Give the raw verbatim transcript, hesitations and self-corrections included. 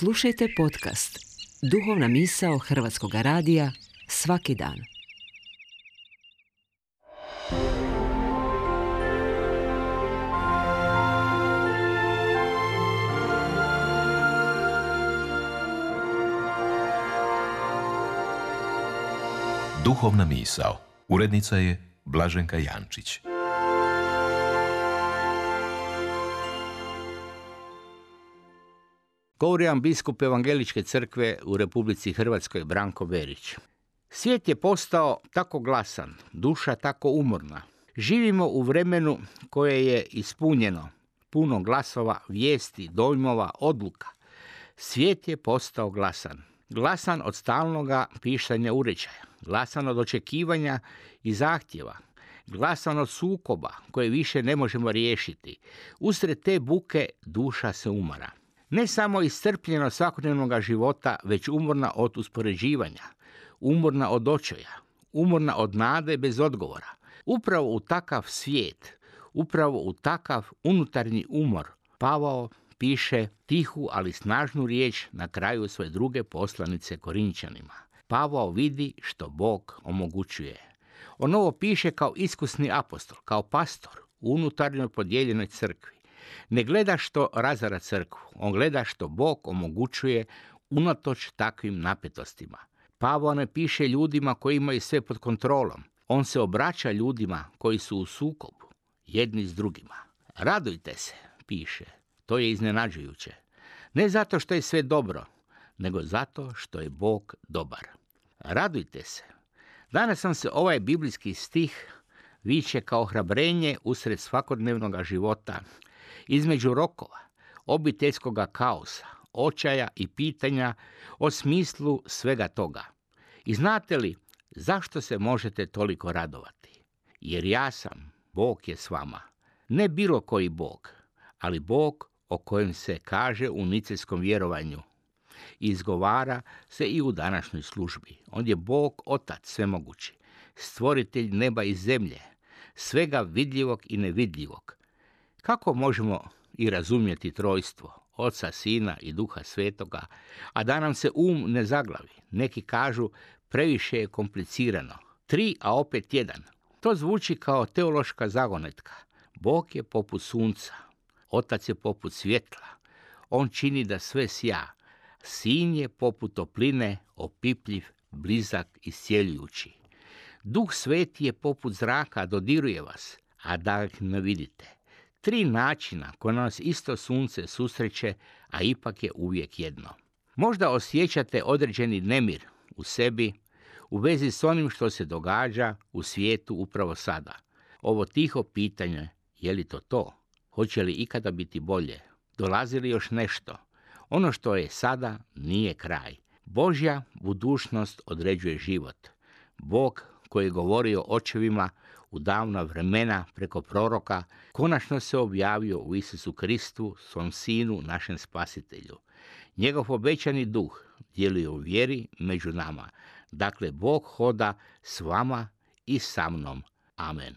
Slušajte podcast Duhovna misao Hrvatskog radija svaki dan. Duhovna misao. Urednica je Blaženka Jančić. Govori vam biskup Evangeličke crkve u Republici Hrvatskoj Branko Berić. Svijet je postao tako glasan, duša tako umorna. Živimo u vremenu koje je ispunjeno, puno glasova, vijesti, dojmova, odluka. Svijet je postao glasan. Glasan od stalnoga pištanja uređaja, glasan od očekivanja i zahtjeva, glasan od sukoba koje više ne možemo riješiti. Usred te buke duša se umara. Ne samo iscrpljena svakodnevnog života, već umorna od uspoređivanja, umorna od očaja, umorna od nade bez odgovora. Upravo u takav svijet, upravo u takav unutarnji umor, Pavao piše tihu, ali snažnu riječ na kraju svoje druge poslanice Korinčanima. Pavao vidi što Bog omogućuje. On ovo piše kao iskusni apostol, kao pastor u unutarnjoj podijeljenoj crkvi. Ne gleda što razara crkvu, on gleda što Bog omogućuje unatoč takvim napetostima. Pavao ne piše ljudima koji imaju sve pod kontrolom. On se obraća ljudima koji su u sukobu, jedni s drugima. Radujte se, piše. To je iznenađujuće. Ne zato što je sve dobro, nego zato što je Bog dobar. Radujte se. Danas nam se ovaj biblijski stih viče kao hrabrenje usred svakodnevnog života, između rokova, obiteljskog kaosa, očaja i pitanja o smislu svega toga. I znate li zašto se možete toliko radovati? Jer ja sam, Bog je s vama. Ne bilo koji Bog, ali Bog o kojem se kaže u nicejskom vjerovanju. Izgovara se i u današnjoj službi. On je Bog, Otac svemogući, stvoritelj neba i zemlje, svega vidljivog i nevidljivog. Kako možemo i razumjeti trojstvo, Oca, Sina i Duha Svetoga, a da nam se um ne zaglavi? Neki kažu previše je komplicirano. Tri, a opet jedan. To zvuči kao teološka zagonetka. Bog je poput sunca, Otac je poput svjetla. On čini da sve sja. Sin je poput topline, opipljiv, blizak i iscjeljujući. Duh Sveti je poput zraka, dodiruje vas, a da ih ne vidite. Tri načina koje nas isto sunce susreće, a ipak je uvijek jedno. Možda osjećate određeni nemir u sebi u vezi s onim što se događa u svijetu upravo sada. Ovo tiho pitanje, je li to to? Hoće li ikada biti bolje? Dolazi li još nešto? Ono što je sada nije kraj. Božja budućnost određuje život. Bog koji je govorio očevima u davna vremena preko proroka, konačno se objavio u Isusu Kristu, svom Sinu, našem Spasitelju. Njegov obećani duh djeluje u vjeri među nama. Dakle, Bog hoda s vama i sa mnom. Amen.